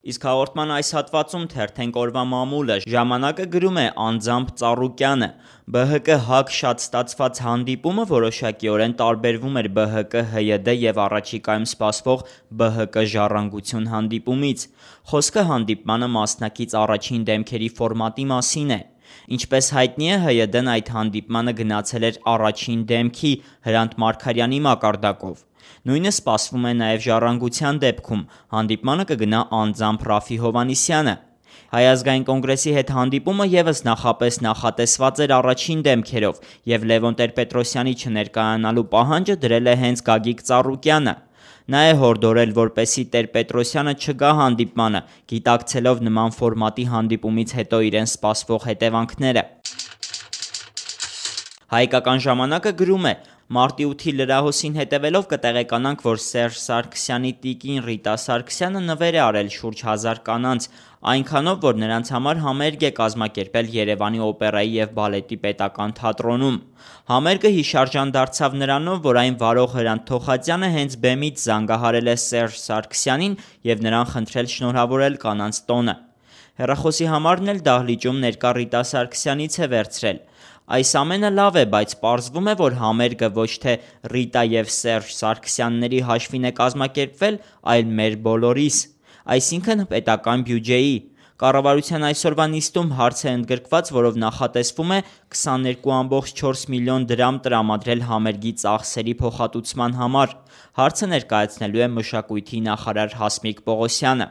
Իսկ հաղորդման այս հատվածում թերթենք օրվա մամուլը, ժամանակը գրում է Անձամբ Ծառուկյանը։ ԲՀԿ ՀԱԿ շատ ստացված հանդիպումը որոշակիորեն տարբերվում էր ԲՀԿ ՀՅԴ և առաջիկայում սպասվող ԲՀԿ ժառանգություն հանդիպումից։ Խոսքը հանդիպմանը մասնակից առաջին դեմքերի ֆորմատի մասին է։ Ինչպես հայտնի է, ՀՅԴ-ն այդ հանդիպմանը գնացել էր առաջին դեմքի Հրանտ Մարգարյանի մակարդակով։ Նույնը սպասվում է նաև ժառանգության դեպքում, հանդիպմանը կգնա անձամբ Ռաֆֆի Հովհաննիսյանը։ Հայ ազգային կոնգրեսի հետ հանդիպումը ևս նախապես նախատեսված էր առաջին դեմքերով, և Լևոն Տեր-Պետրոսյանի չներկայանալու պահանջը դրել է հենց Գագիկ Ծառուկյանը։ Նա է հորդորել, որպեսզի Տեր-Պետրոսյանը չգա հանդիպմանը, գիտակցելով նման ֆորմատի հանդիպումից հետո իրեն սպասվող հետևանքները։ Հայկական ժամանակը գրում է. Մարտի 8-ի լրահոսին հետևելով կտեղեկանանք, որ Սերժ Սարգսյանի տիկին Ռիտա Սարգսյանը նվեր է արել շուրջ 1000 կանանց, այնքանով, որ նրանց համար համերգ է կազմակերպել Երևանի օպերայի և բալետի պետական թատրոնում։ Համերգը հիշարժան դարձավ նրանով, որ այն վարող Հրանտ Թոխածյանը հենց բեմից զանգահարել է Սերժ Սարգսյանին և նրան խնդրել շնորհավորել կանանց տոնը։ Հեռախոսի համարն էլ դահլիճում ներկա Ռիտա Սարգսյանից է վերցրել։ Այս ամենը լավ է, բայց պարզվում է, որ համերգը ոչ թե Ռիտա և Սերժ Սարգսյանների հաշվին է կազմակերպվել, այլ մեր բոլորիս, այսինքն պետական բյուջեի։ Կառավարության այսօրվա նիստում հարց է ընդգրկված, որով նախատեսվում է 22,4 միլիոն դրամ տրամադրել համերգի ծախսերի փոխհատուցման համար։ Հարցը ներկայացնելու է մշակույթի նախարար Հասմիկ Պողոսյանը։